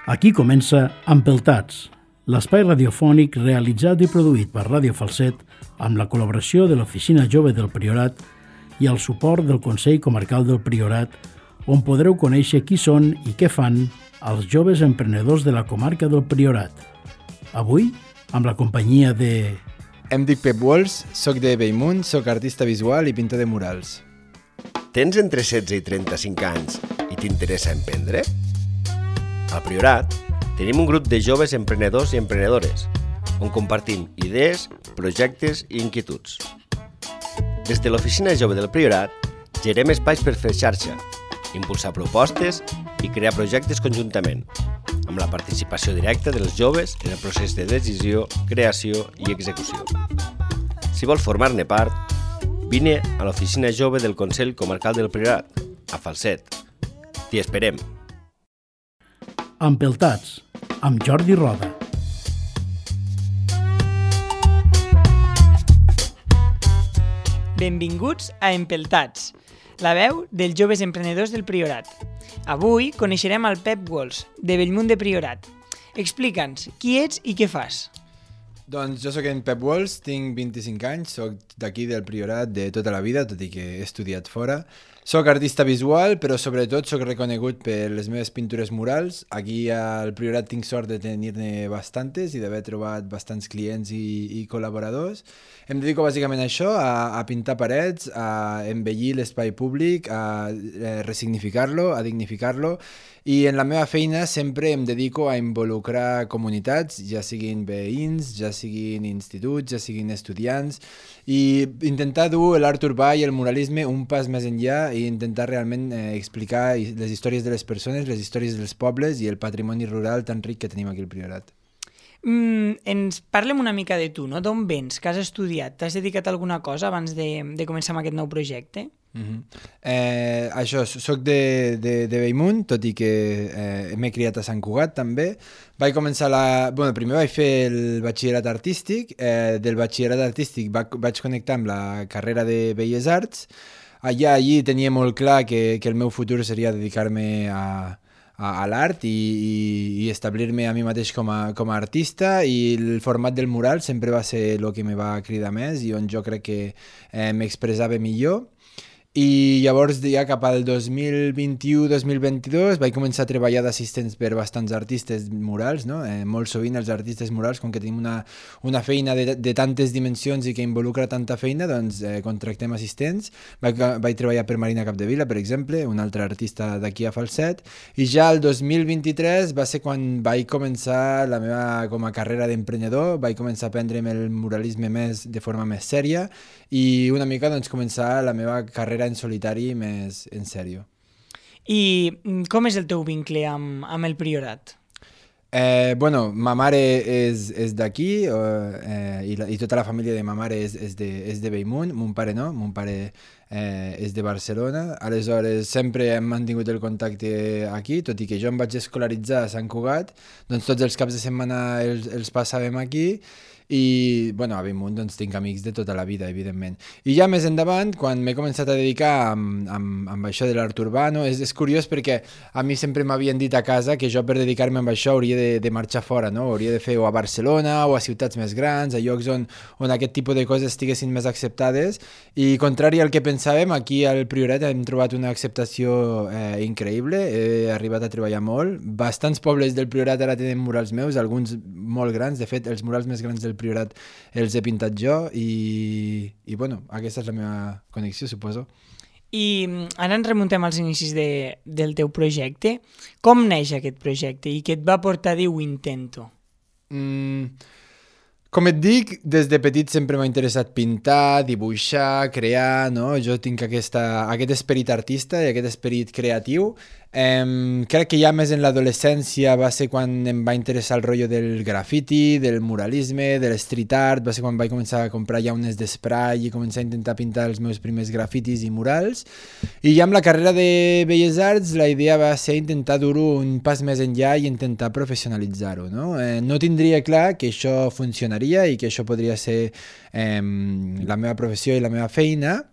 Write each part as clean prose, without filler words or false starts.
Aquí comença Empeltats, l'espai radiofònic realitzat i produït per Ràdio Falset amb la col·laboració de l'Oficina Jove del Priorat i el suport del Consell Comarcal del Priorat, on podreu conèixer qui són i què fan els joves emprenedors de la comarca del Priorat. Avui, amb la companyia de... Em dic Pep Walsh, soc de Bellmunt, soc artista visual i pintor de murals. Tens entre 16 i 35 anys i t'interessa emprendre? Al Priorat tenim un grup de joves emprenedors i emprenedores on compartim idees, projectes i inquietuds. Des de l'Oficina Jove del Priorat gerem espais per fer xarxa, impulsar propostes i crear projectes conjuntament, amb la participació directa dels joves en el procés de decisió, creació i execució. Si vols formar-ne part, vine a l'Oficina Jove del Consell Comarcal del Priorat, a Falset. T'hi esperem! Empeltats, amb Jordi Roda. Benvinguts a Empeltats, la veu dels joves emprenedors del Priorat. Avui coneixerem el Pep Walsh, de Bellmunt de Priorat. Explica'ns qui ets i què fas. Doncs jo sóc en Pep Walsh, tinc 25 anys, sóc d'aquí del Priorat de tota la vida, tot i que he estudiat fora. Soc artista visual, però sobretot soc reconegut per les meves pintures murals. Aquí al Priorat tinc sort de tenir-ne bastantes i d'haver trobat bastants clients i col·laboradors. Em dedico bàsicament a això, a pintar parets, a embellir l'espai públic, a resignificar-lo, a dignificar-lo. I en la meva feina sempre em dedico a involucrar comunitats, ja siguin veïns, ja siguin instituts, ja siguin estudiants, i intentar dur l'art urbà i el muralisme un pas més enllà i intentar realment explicar les històries de les persones, les històries dels pobles i el patrimoni rural tan ric que tenim aquí al Priorat. Ens parlem una mica de tu, no? D'on vens? Què has estudiat? T'has dedicat a alguna cosa abans de començar amb aquest nou projecte? Això, soc de Bellmunt, tot i que m'he criat a Sant Cugat també. Vaig començar primer vaig fer el batxillerat artístic, del batxillerat artístic vaig connectar amb la carrera de Belles Arts. Allí tenia molt clar que el meu futur seria dedicar-me a l'art i establir-me a mi mateix com a artista, i el format del mural sempre va ser el que me va cridar més i on jo crec que m'expressava millor. I llavors ja cap al 2021-2022 vaig començar a treballar d'assistents per bastants artistes murals, no? Molt sovint els artistes murals, com que tenim una feina de tantes dimensions i que involucra tanta feina, doncs contractem assistents. Vaig treballar per Marina Capdevila, per exemple, una altra artista d'aquí a Falset, i ja el 2023 va ser quan vaig començar la meva com a carrera d'emprenedor. Vaig començar a aprendre'm el muralisme de forma més sèria i una mica doncs començar la meva carrera en solitari més en sèrio. I com és el teu vincle amb el Priorat? Ma mare és d'aquí i tota la família de ma mare és de Bellmunt. Mon pare no, mon pare és de Barcelona. Aleshores sempre hem mantingut el contacte aquí, tot i que jo em vaig escolaritzar a Sant Cugat, doncs tots els caps de setmana els passàvem aquí. I a Bellmunt doncs, tinc amics de tota la vida, evidentment. I ja més endavant, quan m'he començat a dedicar amb això de l'art urbà, no? És curiós perquè a mi sempre m'havien dit a casa que jo per dedicar-me a això hauria de marxar fora, no? Hauria de fer o a Barcelona o a ciutats més grans, a llocs on aquest tipus de coses estiguessin més acceptades, i contrari al que pensàvem, aquí al Priorat hem trobat una acceptació increïble. He arribat a treballar molt. Bastants pobles del Priorat ara tenen murals meus, alguns molt grans. De fet, els murals més grans del Priorat els he pintat jo i aquesta és la meva connexió, suposo. I ara ens remuntem als inicis del teu projecte. Com neix aquest projecte i què et va portar a dir ho intento? Com et dic, des de petit sempre m'ha interessat pintar, dibuixar, crear, no? Jo tinc aquest esperit artista i aquest esperit creatiu. Crec que ja més en l'adolescència va ser quan em va interessar el rotllo del grafiti, del muralisme, de l'street art. Va ser quan vaig començar a comprar llaunes d'esprai i començar a intentar pintar els meus primers grafitis i murals. I ja amb la carrera de Belles Arts la idea va ser intentar dur-ho un pas més enllà i intentar professionalitzar-ho, no? No tindria clar que això funcionaria i que això podria ser la meva professió i la meva feina.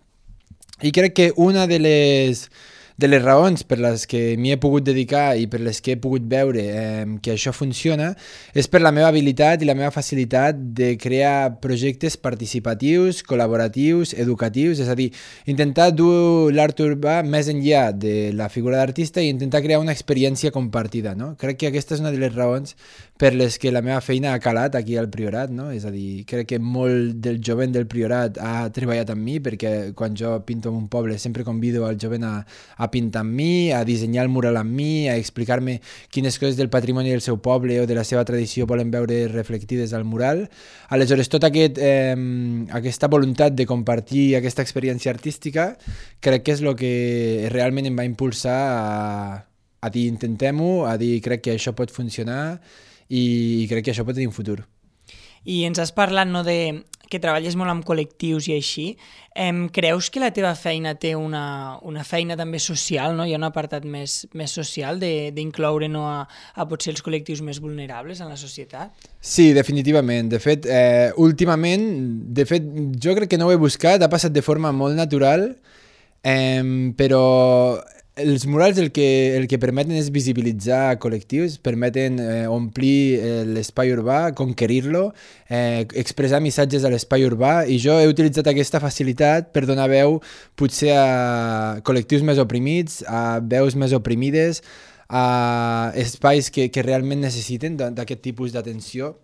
I crec que una de les de les raons per les que m'hi he pogut dedicar i per les que he pogut veure que això funciona és per la meva habilitat i la meva facilitat de crear projectes participatius, col·laboratius, educatius, és a dir, intentar dur l'art urbà més enllà de la figura d'artista i intentar crear una experiència compartida, no? Crec que aquesta és una de les raons per les que la meva feina ha calat aquí al Priorat, no? És a dir, crec que molt del jovent del Priorat ha treballat amb mi, perquè quan jo pinto en un poble sempre convido al jovent a pintar amb mi, a dissenyar el mural amb mi, a explicar-me quines coses del patrimoni del seu poble o de la seva tradició volen veure reflectides al mural. Aleshores, tota aquesta voluntat de compartir aquesta experiència artística crec que és el que realment em va impulsar a dir intentem-ho, a dir crec que això pot funcionar i crec que això pot tenir un futur. I ens has parlat, no, de que treballes molt amb col·lectius i així. Creus que la teva feina té una feina també social, no? Hi ha un apartat més social d'incloure, no, a potser els col·lectius més vulnerables en la societat? Sí, definitivament. De fet, últimament, jo crec que no ho he buscat, ha passat de forma molt natural, però els murals el que permeten és visibilitzar col·lectius, permeten omplir l'espai urbà, conquerir-lo, expressar missatges a l'espai urbà, i jo he utilitzat aquesta facilitat per donar veu potser a col·lectius més oprimits, a veus més oprimides, a espais que realment necessiten d'aquest tipus d'atenció.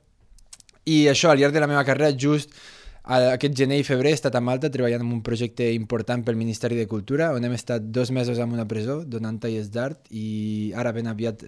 I això, al llarg de la meva carrera, just aquest gener i febrer he estat a Malta treballant en un projecte important pel Ministeri de Cultura, on hem estat 2 mesos en una presó donant tallers d'art, i ara ben aviat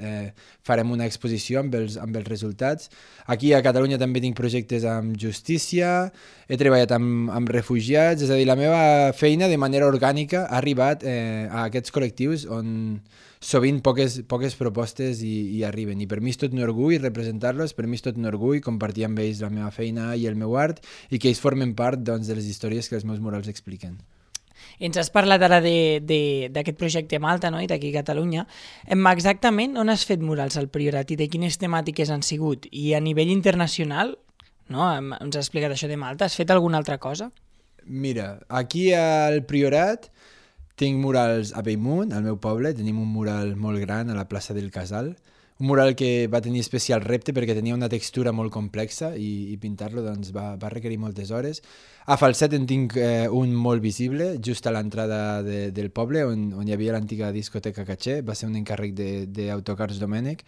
farem una exposició amb els resultats. Aquí a Catalunya també tinc projectes amb justícia, he treballat amb refugiats, és a dir, la meva feina de manera orgànica ha arribat a aquests col·lectius on sovint poques propostes hi arriben, i per mi és tot un orgull representar-los, per mi és tot un orgull compartir amb ells la meva feina i el meu art, i que ells formen part, doncs, de les històries que els meus murals expliquen. Ens has parlat ara d'aquest projecte a Malta, no? I d'aquí a Catalunya. Exactament on has fet murals al Priorat i de quines temàtiques han sigut? I a nivell internacional, no? Ens has explicat això de Malta, has fet alguna altra cosa? Mira, aquí al Priorat tinc murals a Bellmunt, al meu poble, tenim un mural molt gran a la plaça del Casal, un mural que va tenir especial repte perquè tenia una textura molt complexa i pintar-lo doncs, va requerir moltes hores. A Falset en tinc un molt visible, just a l'entrada del poble, on hi havia l'antiga discoteca Caché, va ser un encàrrec d'Autocars Domènec.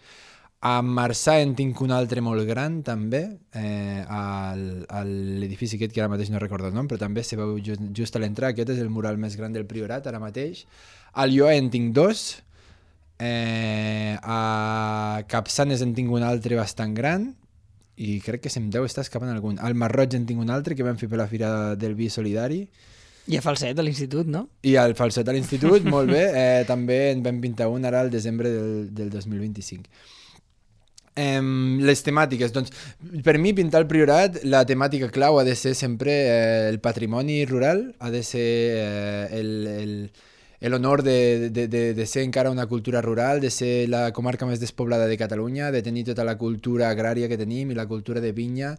A Marçà en tinc un altre molt gran, també, a l'edifici aquest, que ara mateix no recordo el nom, però també se veu just a l'entrada. Aquest és el mural més gran del Priorat, ara mateix. A Lloer en tinc 2, a Capçanes en tinc un altre bastant gran, i crec que se'm deu estar escapant algun. Al Masroig en tinc un altre, que vam fer per la Fira del Vi Solidari. I a Falset, a l'institut, no? I al Falset, a l'institut, molt bé. També en vam pintar un ara al desembre del 2025. Les temàtiques, doncs, per mi pintar el Priorat, la temàtica clau ha de ser sempre el patrimoni rural, ha de ser l'honor de ser encara una cultura rural, de ser la comarca més despoblada de Catalunya, de tenir tota la cultura agrària que tenim i la cultura de vinya.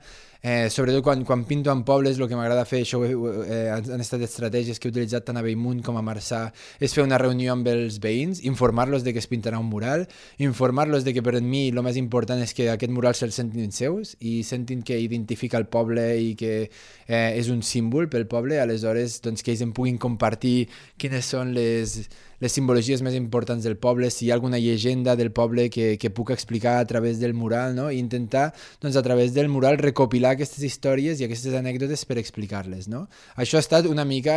Sobretot quan pinto en pobles, el que m'agrada fer, això han estat estratègies que he utilitzat tant a Bellmunt com a Marçà, és fer una reunió amb els veïns, informar-los de que es pintarà un mural, informar-los de que per mi el més important és que aquest mural se'l sentin seus i sentin que identifica el poble i que és un símbol pel poble. Aleshores, doncs, que ells em puguin compartir quines són les simbologies més importants del poble, si hi ha alguna llegenda del poble que puc explicar a través del mural, no? I intentar, doncs, a través del mural recopilar aquestes històries i aquestes anècdotes per explicar-les, no? Això ha estat una mica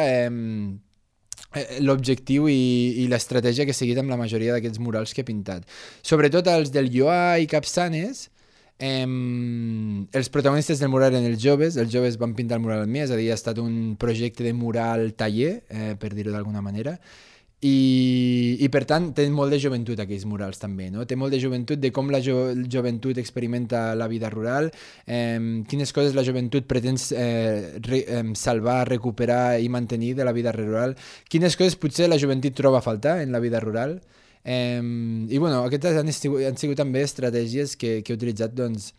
l'objectiu i l'estratègia que he seguit amb la majoria d'aquests murals que he pintat. Sobretot els del Lloar i Capçanes, els protagonistes del mural eren els joves van pintar el mural amb mi, és a dir, ha estat un projecte de mural taller, per dir-ho d'alguna manera, i per tant tenen molt de joventut aquells murals també, no? Té molt de joventut, de com la joventut experimenta la vida rural, quines coses la joventut pretén salvar, recuperar i mantenir de la vida rural, quines coses potser la joventut troba a faltar en la vida rural. I bueno, aquestes han sigut també estratègies que he utilitzat doncs,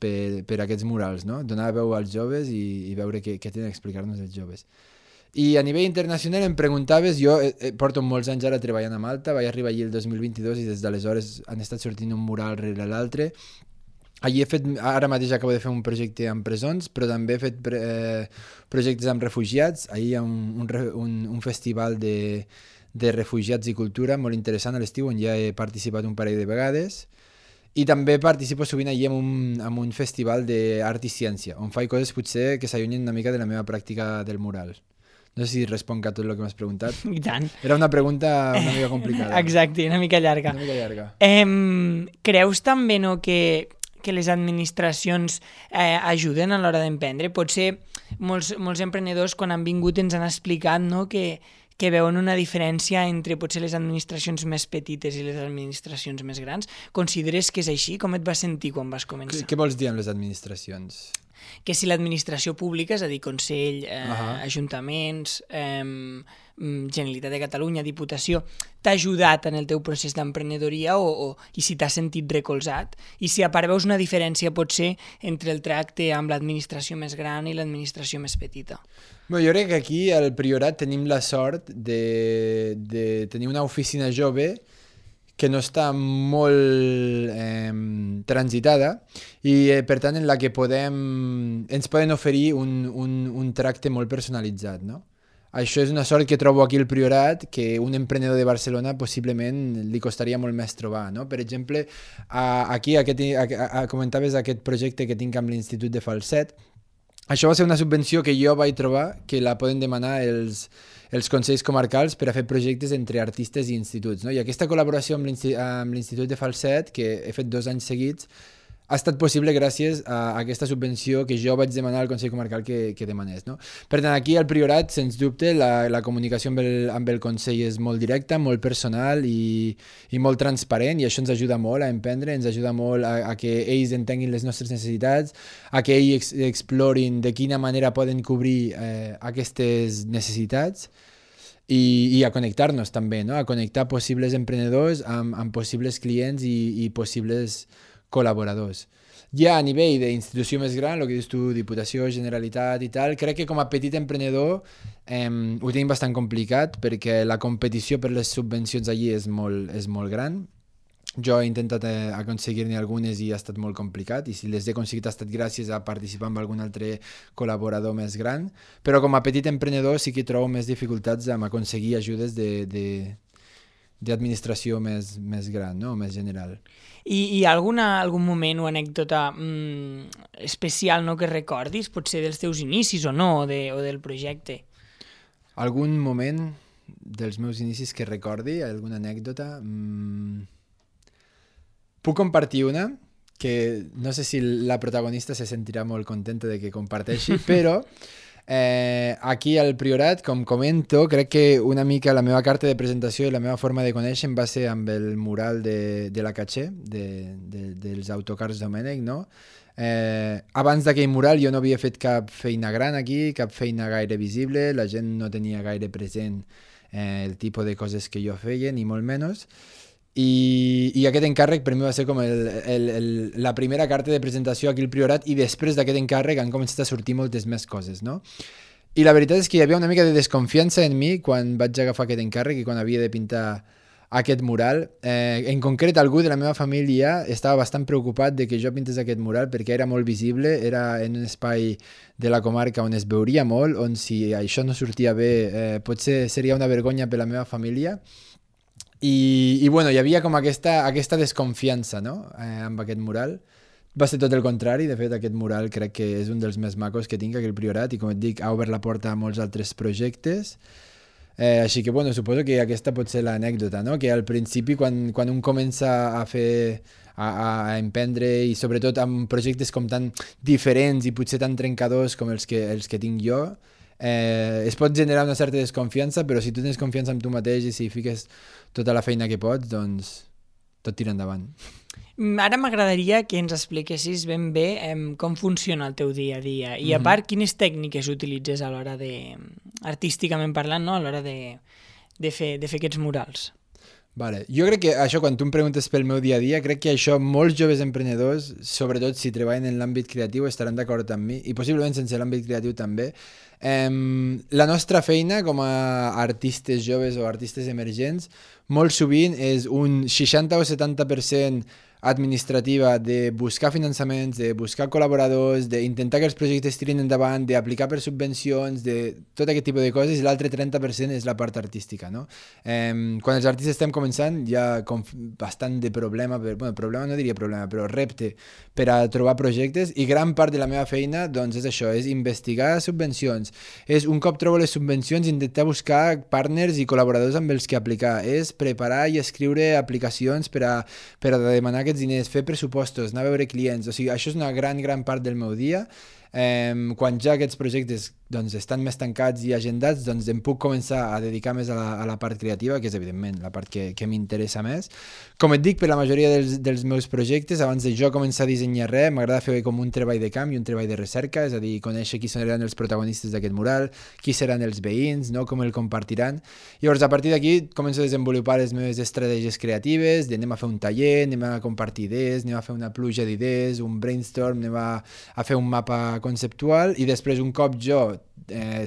per aquests murals, no? Donar veu als joves i veure què tenen a explicar-nos els joves. I a nivell internacional em preguntaves, jo porto molts anys ara treballant a Malta, vaig arribar allí el 2022 i des d'aleshores han estat sortint un mural rere l'altre. Allí he fet, ara mateix acabo de fer un projecte amb presons, però també he fet projectes amb refugiats. Ahir hi ha un festival de refugiats i cultura molt interessant a l'estiu, on ja he participat un parell de vegades. I també participo sovint allí en un festival d'art i ciència, on faig coses potser que s'allunyen una mica de la meva pràctica del mural. No sé si responc a tot el que m'has preguntat. I tant. Era una pregunta una mica complicada. Exacte, una mica llarga. Una mica llarga. Creus també que les administracions ajuden a l'hora d'emprendre? Potser molts emprenedors quan han vingut ens han explicat, no, que veuen una diferència entre potser les administracions més petites i les administracions més grans. Consideres que és així? Com et vas sentir quan vas començar? Què vols dir amb les administracions? Que si l'administració pública, és a dir, Consell, ajuntaments, Generalitat de Catalunya, Diputació, t'ha ajudat en el teu procés d'emprenedoria i si t'has sentit recolzat, i si a part veus una diferència potser entre el tracte amb l'administració més gran i l'administració més petita. Bé, jo crec que aquí al Priorat tenim la sort de tenir una oficina jove que no està molt transitada i per tant en la que ens poden oferir un tracte molt personalitzat, no? Això és una sort que trobo aquí al Priorat, que un emprenedor de Barcelona possiblement li costaria molt més trobar, no? Per exemple, aquí comentaves aquest projecte que tinc amb l'Institut de Falset. Això va ser una subvenció que jo vaig trobar, que la poden demanar els consells comarcals per a fer projectes entre artistes i instituts, no? I aquesta col·laboració amb l'Institut de Falset, que he fet 2 anys seguits, ha estat possible gràcies a aquesta subvenció que jo vaig demanar al Consell Comarcal que demanés, no? Per tant, aquí al Priorat, sens dubte, la comunicació amb el Consell és molt directa, molt personal i molt transparent, i això ens ajuda molt a emprendre, ens ajuda molt a que ells entenguin les nostres necessitats, a que ells explorin de quina manera poden cobrir aquestes necessitats i a connectar-nos també, no? A connectar possibles emprenedors amb possibles clients i possibles col·laboradors. Ja a nivell d'institució més gran, el que dius tu, Diputació, Generalitat i tal, crec que com a petit emprenedor ho tenim bastant complicat perquè la competició per les subvencions allí és molt gran. Jo he intentat aconseguir-ne algunes i ha estat molt complicat, i si les he aconseguit ha estat gràcies a participar amb algun altre col·laborador més gran, però com a petit emprenedor sí que trobo més dificultats amb aconseguir ajudes d'administració més gran, no? Més general. I hi ha algun moment o anècdota especial, no, que recordis, potser dels teus inicis o no, o del projecte? Algun moment dels meus inicis que recordi, alguna anècdota? Puc compartir una, que no sé si la protagonista se sentirà molt contenta de que comparteixi, però aquí al Priorat, com comento, crec que una mica la meva carta de presentació i la meva forma de conèixer va ser amb el mural de la Caché, dels autocars Domènech, no? Abans d'aquell mural jo no havia fet cap feina gran aquí, cap feina gaire visible, la gent no tenia gaire present el tipus de coses que jo feia, ni molt menys. I aquest encàrrec per mi va ser com la primera carta de presentació aquí al Priorat, i després d'aquest encàrrec han començat a sortir moltes més coses, no? I la veritat és que hi havia una mica de desconfiança en mi quan vaig agafar aquest encàrrec i quan havia de pintar aquest mural. En concret, algú de la meva família estava bastant preocupat de que jo pintés aquest mural perquè era molt visible, era en un espai de la comarca on es veuria molt, on si això no sortia bé potser seria una vergonya per la meva família. I bueno, hi havia com aquesta desconfiança, no? Amb aquest mural. Va ser tot el contrari. De fet, aquest mural crec que és un dels més macos que tinc aquí al Priorat i, com et dic, ha obert la porta a molts altres projectes. Així que, bueno, suposo que aquesta pot ser l'anècdota, no? Que al principi, quan un comença a fer, a emprendre, i sobretot amb projectes com tan diferents i potser tan trencadors com els que tinc jo, es pot generar una certa desconfiança, però si tu tens confiança en tu mateix i si fiques tota la feina que pots, doncs tot tira endavant. Ara m'agradaria que ens expliquessis ben bé com funciona el teu dia a dia i a part quines tècniques utilitzes a l'hora de, artísticament parlant, no? A l'hora de fer aquests murals. Vale. Jo crec que això, quan tu em preguntes pel meu dia a dia, crec que això molts joves emprenedors, sobretot si treballen en l'àmbit creatiu, estaran d'acord amb mi, i possiblement sense l'àmbit creatiu també. La nostra feina com a artistes joves o artistes emergents molt sovint és un 60 o 70% administrativa de buscar finançaments, de buscar col·laboradors, d'intentar que els projectes tirin endavant, d'aplicar per subvencions, de tot aquest tipus de coses, i l'altre 30% és la part artística, no? Quan els artistes estem començant hi ha bastant de problema, problema no diria problema, però repte per a trobar projectes, i gran part de la meva feina doncs és això, és investigar subvencions, és un cop trobo les subvencions intentar buscar partners i col·laboradors amb els que aplicar, és preparar i escriure aplicacions per a demanar aquests diners, fer pressupostos, anar a veure clients, o sigui, això és una gran part del meu dia. Quan ja aquests projectes doncs, estan més tancats i agendats, doncs em puc començar a dedicar més a la part creativa, que és evidentment la part que m'interessa més. Com et dic, per la majoria dels meus projectes, abans de jo començar a dissenyar res, m'agrada fer com un treball de camp i un treball de recerca, és a dir, conèixer qui seran els protagonistes d'aquest mural, qui seran els veïns, no? Com el compartiran. Llavors, a partir d'aquí, començo a desenvolupar les meves estratègies creatives, anem a fer un taller, anem a compartir idees, anem a fer una pluja d'idees, un brainstorm, anem a fer un mapa conceptual, i després, un cop jo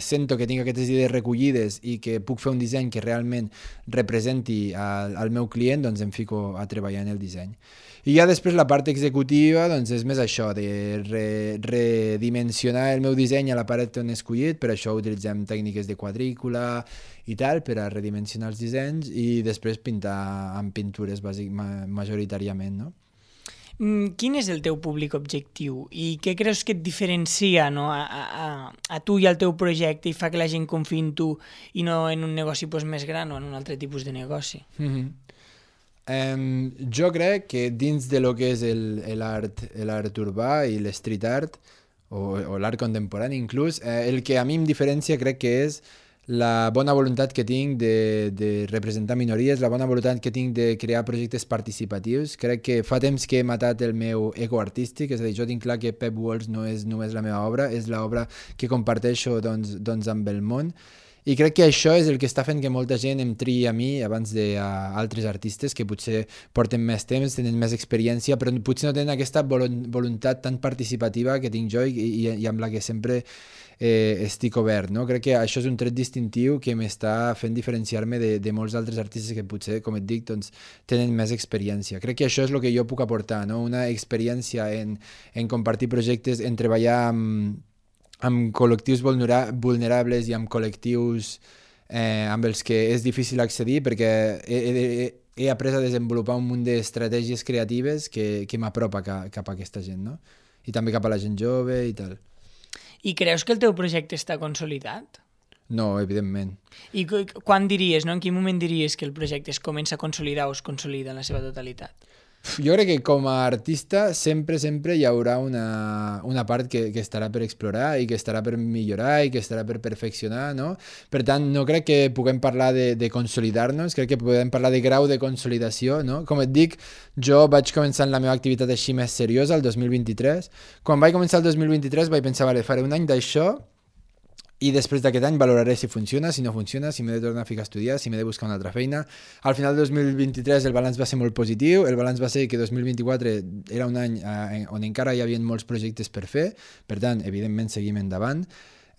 sento que tinc aquestes idees recollides i que puc fer un disseny que realment representi al meu client, doncs em fico a treballar en el disseny. I ja després la part executiva doncs és més això, de redimensionar el meu disseny a la paret on he escollit, per això utilitzem tècniques de quadrícula i tal, per a redimensionar els dissenys, i després pintar amb pintures majoritàriament, no? Quin és el teu públic objectiu i què creus que et diferencia, no, a tu i al teu projecte i fa que la gent confiï en tu i no en un negoci més gran o en un altre tipus de negoci? Jo crec que dins de lo que és l'art urbà i l'street art o l'art contemporani inclús, el que a mi em diferencia crec que és la bona voluntat que tinc de representar minories, la bona voluntat que tinc de crear projectes participatius. Crec que fa temps que he matat el meu ego artístic, és a dir, jo tinc clar que Pep Walls no és només la meva obra, és l'obra que comparteixo doncs amb el món, i crec que això és el que està fent que molta gent em triï a mi abans d'altres artistes que potser porten més temps, tenen més experiència, però potser no tenen aquesta voluntat tan participativa que tinc jo i amb la que sempre estic obert, no? Crec que això és un tret distintiu que m'està fent diferenciar-me de molts altres artistes que potser, com et dic, doncs, tenen més experiència. Crec que això és el que jo puc aportar, no? Una experiència en compartir projectes, en treballar amb col·lectius vulnerables i amb col·lectius amb els que és difícil accedir, perquè he après a desenvolupar un munt d'estratègies creatives que m'apropa cap a aquesta gent, no? I també cap a la gent jove i tal. I creus que el teu projecte està consolidat? No, evidentment. I quan diries, no? En quin moment diries que el projecte es comença a consolidar o es consolida en la seva totalitat? Jo crec que com a artista sempre hi haurà una part que estarà per explorar i que estarà per millorar i que estarà per perfeccionar, no? Per tant, no crec que puguem parlar de consolidar-nos, crec que podem parlar de grau de consolidació, no? Com et dic, jo vaig començar la meva activitat així més seriosa el 2023. Quan vaig començar el 2023 vaig pensar, vale, faré un any d'això, i després d'aquest any valoraré si funciona, si no funciona, si m'he de tornar a ficar a estudiar, si m'he de buscar una altra feina. Al final del 2023 el balanç va ser molt positiu, el balanç va ser que 2024 era un any on encara hi havia molts projectes per fer, per tant, evidentment seguim endavant.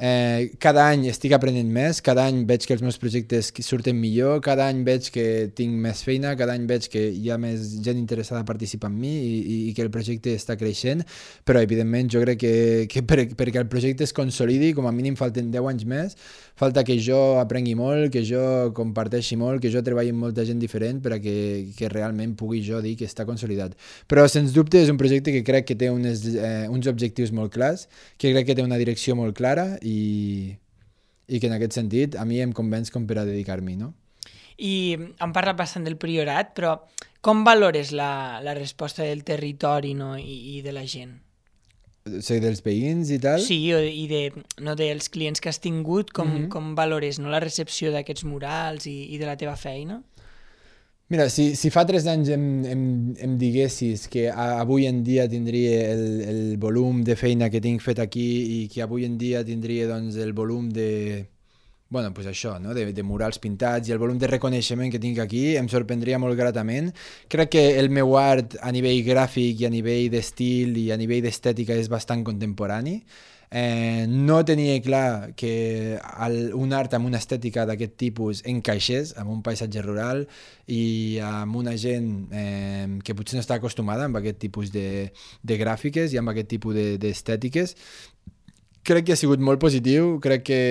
Cada any estic aprenent més, cada any veig que els meus projectes surten millor, cada any veig que tinc més feina, cada any veig que hi ha més gent interessada a participar amb mi i que el projecte està creixent, però evidentment jo crec que perquè el projecte es consolidi, com a mínim falten 10 anys més, falta que jo aprengui molt, que jo comparteixi molt, que jo treballi amb molta gent diferent per a que realment pugui jo dir que està consolidat. Però sens dubte és un projecte que crec que té uns objectius molt clars, que crec que té una direcció molt clara i que en aquest sentit a mi em convenç com per a dedicar-m'hi, no? I hem parlat bastant del Priorat, però com valores la resposta del territori, no? I de la gent? O sigui, dels veïns i tal? Sí, i dels clients que has tingut, com valores, no, la recepció d'aquests murals i de la teva feina? Mira, si fa 3 anys em diguessis que avui en dia tindria el volum de feina que tinc fet aquí i que avui en dia tindria doncs, el volum de bueno, pues això, no? de murals pintats i el volum de reconeixement que tinc aquí em sorprendria molt gratament. Crec que el meu art a nivell gràfic i a nivell d'estil i a nivell d'estètica és bastant contemporani. No tenia clar que un art amb una estètica d'aquest tipus encaixés amb un paisatge rural i amb una gent que potser no està acostumada amb aquest tipus de gràfiques i amb aquest tipus d'estètiques. Crec que ha sigut molt positiu, crec que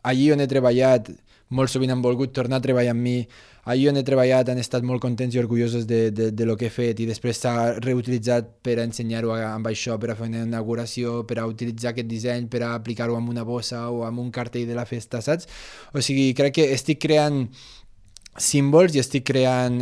allí on he treballat molt sovint han volgut tornar a treballar amb mi, allí on he treballat han estat molt contents i orgullosos de lo que he fet i després s'ha reutilitzat per a ensenyar-ho amb això, per a fer una inauguració, per a utilitzar aquest disseny, per a aplicar-ho amb una bossa o amb un cartell de la festa, saps? O sigui, crec que estic creant símbols i estic creant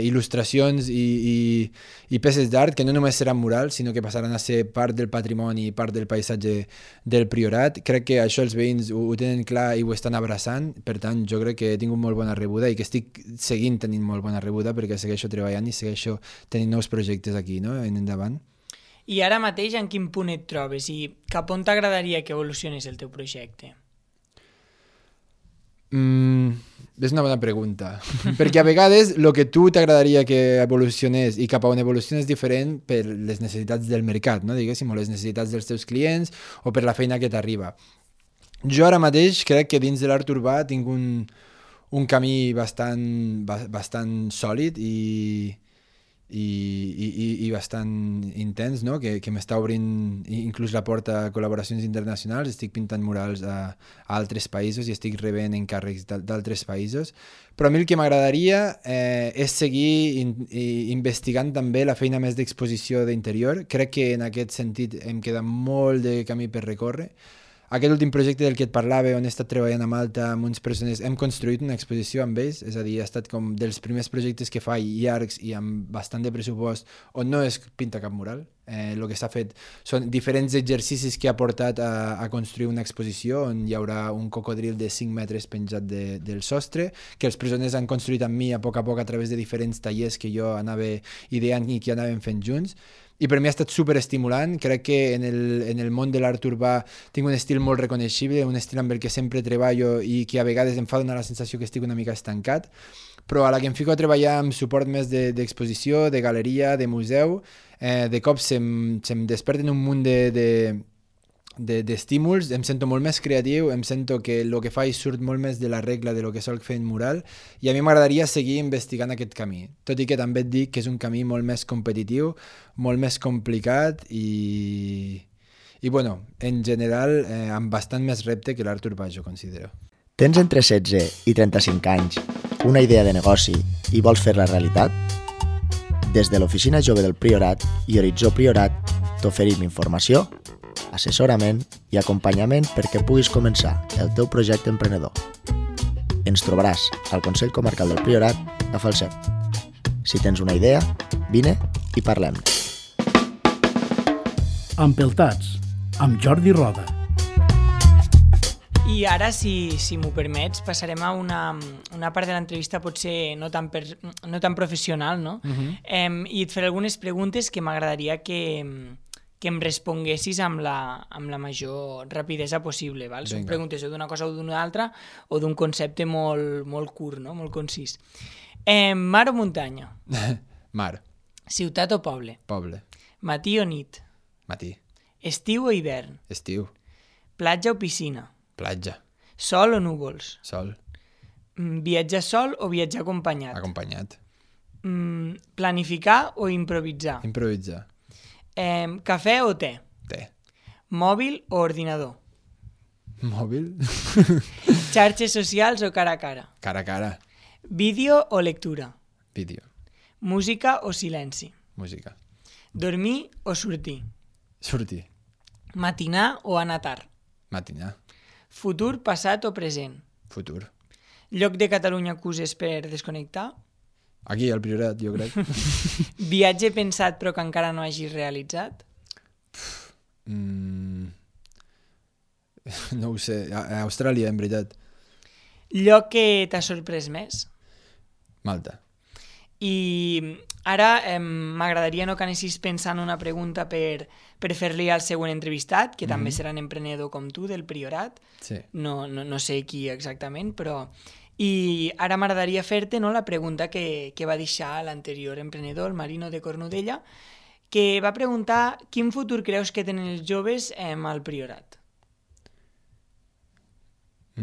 il·lustracions i peces d'art que no només seran murals, sinó que passaran a ser part del patrimoni i part del paisatge del Priorat. Crec que això els veïns ho tenen clar i ho estan abraçant, per tant jo crec que he tingut molt bona rebuda i que estic seguint tenint molt bona rebuda perquè segueixo treballant i segueixo tenint nous projectes aquí, no? En endavant. I ara mateix en quin punt et trobes i cap on t'agradaria que evolucionés el teu projecte? És una bona pregunta, perquè a vegades el que tu t'agradaria que evolucionés i cap a on evoluciona és diferent per les necessitats del mercat, no? Diguéssim, o les necessitats dels teus clients o per la feina que t'arriba. Jo ara mateix crec que dins de l'art urbà tinc un camí bastant sòlid i bastant intens, no? que m'està obrint inclús la porta a col·laboracions internacionals. Estic pintant murals a altres països i estic rebent encàrrecs d'altres països, però a mi el que m'agradaria és seguir investigant també la feina més d'exposició d'interior. Crec que en aquest sentit em queda molt de camí per recórrer. Aquest últim projecte del que et parlava, on he estat treballant a Malta amb uns presoners, hem construït una exposició amb ells, és a dir, ha estat com dels primers projectes que faig llargs i amb bastant de pressupost, on no es pinta cap mural. El que s'ha fet són diferents exercicis que ha portat a construir una exposició on hi haurà un cocodril de 5 metres penjat del sostre, que els presoners han construït amb mi a poc a través de diferents tallers que jo anava ideant i que anàvem fent junts. I per mi ha estat superestimulant. Crec que en el món de l'art urbà tinc un estil molt reconeixible, un estil amb el que sempre treballo i que a vegades em fa donar la sensació que estic una mica estancat, però a la que em fico a treballar amb suport més d'exposició, de galeria, de museu, de cop se'm desperten un munt d'estímuls, em sento molt més creatiu, em sento que el que faig surt molt més de la regla de lo que solc fer en mural i a mi m'agradaria seguir investigant aquest camí, tot i que també et dic que és un camí molt més competitiu, molt més complicat i bueno, en general amb bastant més repte que l'art urbà, jo considero. Tens entre 16 i 35 anys, una idea de negoci i vols fer-la realitat? Des de l'Oficina Jove del Priorat i Horitzó Priorat t'oferim informació, assessorament i acompanyament perquè puguis començar el teu projecte emprenedor. Ens trobaràs al Consell Comarcal del Priorat a Falset. Si tens una idea, vine i parlem. Empeltats, amb Jordi Roda. I ara, si m'ho permets, passarem a una part de l'entrevista potser no tan professional, no? I et faré algunes preguntes que m'agradaria que em responguessis amb la major rapidesa possible. Val? Són preguntes o d'una cosa o d'una altra o d'un concepte molt curt, no? Molt concís. Mar o muntanya? Mar. Ciutat o poble? Poble. Matí o nit? Matí. Estiu o hivern? Estiu. Platja o piscina? Platja. Sol o núvols? Sol. Viatjar sol o viatjar acompanyat? Acompanyat. Planificar o improvisar? Improvisar. Cafè o te? Te. Mòbil o ordinador? Mòbil. Xarxes socials o cara a cara? Cara a cara. Vídeo o lectura? Vídeo. Música o silenci? Música. Dormir o sortir? Sortir. Matinar o anar tard? Matinar. Futur, passat o present? Futur. Lloc de Catalunya que uses per desconnectar? Aquí, al Priorat, jo crec. Viatge pensat però que encara no hagis realitzat? No ho sé. A Austràlia, en veritat. Lloc que t'ha sorprès més? Malta. I ara m'agradaria que anessis pensant una pregunta per fer-li al següent entrevistat, que també serà un emprenedor com tu, del Priorat. Sí. No sé qui exactament, però... I ara m'agradaria fer-te la pregunta que va deixar l'anterior emprenedor, el Marino de Cornudella, que va preguntar quin futur creus que tenen els joves al Priorat. A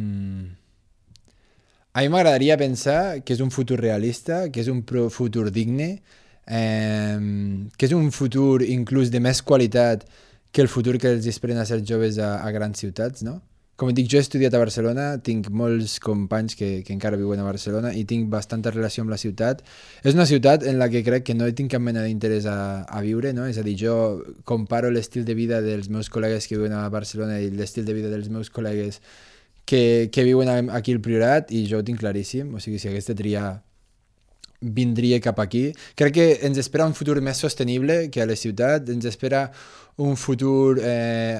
mi m'agradaria pensar que és un futur realista, que és un futur digne, que és un futur inclús de més qualitat que el futur que els esperen a ser joves a grans ciutats, no? Com dic, jo he estudiat a Barcelona, tinc molts companys que encara viuen a Barcelona i tinc bastanta relació amb la ciutat. És una ciutat en la que crec que no tinc cap mena d'interès a viure, no? És a dir, jo comparo l'estil de vida dels meus col·legues que viuen a Barcelona i l'estil de vida dels meus col·legues que viuen aquí al Priorat i jo ho tinc claríssim. O sigui, si hagués de triar, vindria cap aquí. Crec que ens espera un futur més sostenible que a la ciutat, ens espera un futur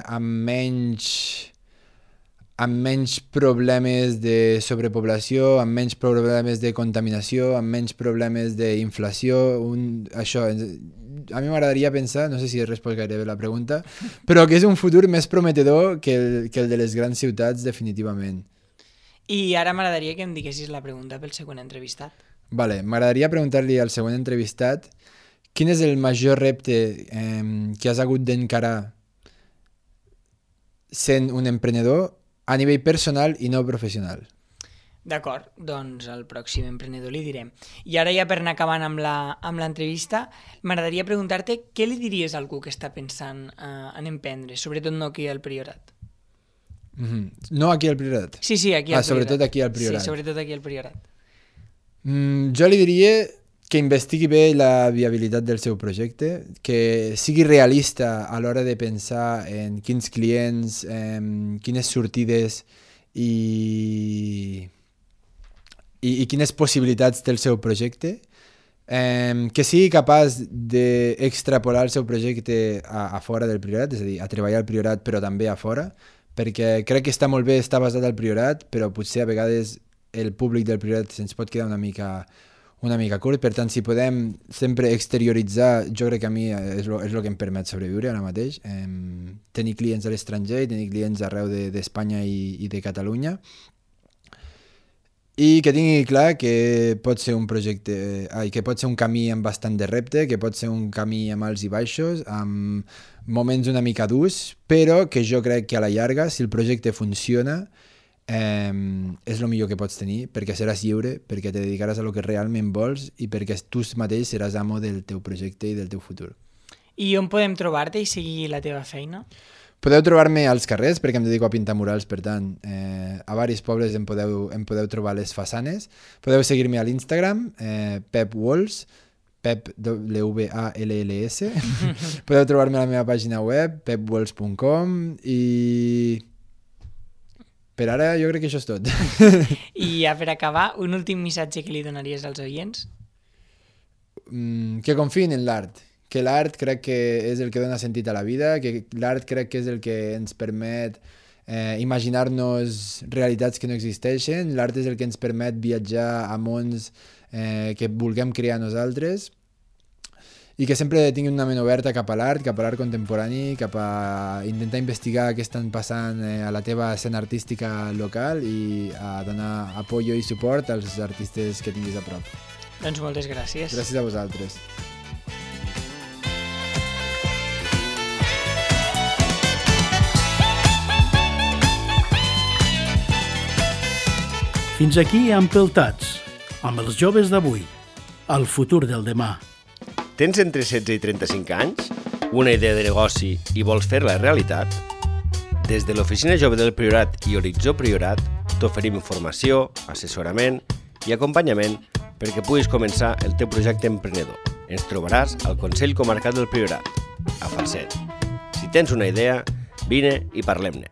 amb menys problemes de sobrepoblació, amb menys problemes de contaminació, amb menys problemes d'inflació. Això, a mi m'agradaria pensar, no sé si he respost gaire bé la pregunta, però que és un futur més prometedor que el de les grans ciutats, definitivament. I ara m'agradaria que em diguessis la pregunta pel següent entrevistat. Vale, m'agradaria preguntar-li al següent entrevistat quin és el major repte que has hagut d'encarar sent un emprenedor a nivell personal i no professional. D'acord, doncs al pròxim emprenedor li direm. I ara ja per anar acabant amb l'entrevista, m'agradaria preguntar-te què li diries a algú que està pensant en emprendre, sobretot no aquí al Priorat. No aquí al Priorat? Sí, aquí al Priorat. Sobretot aquí al Priorat. Sí, sobretot aquí al Priorat. Jo li diria que investigui bé la viabilitat del seu projecte, que sigui realista a l'hora de pensar en quins clients, quines sortides i quines possibilitats té el seu projecte, que sigui capaç d'extrapolar el seu projecte a fora del Priorat, és a dir, a treballar al Priorat però també a fora, perquè crec que està molt bé estar basat al Priorat, però potser a vegades el públic del Priorat se'ns pot quedar una mica curt. Per tant, si podem sempre exterioritzar, jo crec que a mi és el que em permet sobreviure ara mateix, tenir clients a l'estranger i tenir clients arreu d'Espanya i de Catalunya, i que tingui clar que pot ser un projecte, que pot ser un camí amb bastant de repte, que pot ser un camí amb alts i baixos, amb moments una mica durs, però que jo crec que a la llarga, si el projecte funciona, és el millor que pots tenir, perquè seràs lliure, perquè te dedicaràs a lo que realment vols i perquè tu mateix seràs amo del teu projecte i del teu futur. I on podem trobar-te i seguir la teva feina? Podeu trobar-me als carrers, perquè em dedico a pintar murals, per tant, a diversos pobles em podeu trobar les façanes. Podeu seguir-me a l'Instagram, Pep Walls, Pep Walls. Podeu trobar-me a la meva pàgina web, pepwalls.com, i per ara jo crec que això és tot. I ja per acabar, un últim missatge que li donaries als oients? Que confiïn en l'art. Que l'art crec que és el que dona sentit a la vida, que l'art crec que és el que ens permet imaginar-nos realitats que no existeixen, l'art és el que ens permet viatjar a mons que vulguem crear nosaltres, i que sempre tinguin una ment oberta cap a l'art contemporani, cap a intentar investigar què estan passant a la teva escena artística local i a donar apoyo i suport als artistes que tinguis a prop. Doncs moltes gràcies. Gràcies a vosaltres. Fins aquí Empeltats, amb els joves d'avui, el futur del demà. Tens entre 16 i 35 anys? Una idea de negoci i vols fer-la realitat? Des de l'Oficina Jove del Priorat i Horitzó Priorat t'oferim informació, assessorament i acompanyament perquè puguis començar el teu projecte emprenedor. Ens trobaràs al Consell Comarcal del Priorat, a Falset. Si tens una idea, vine i parlem-ne.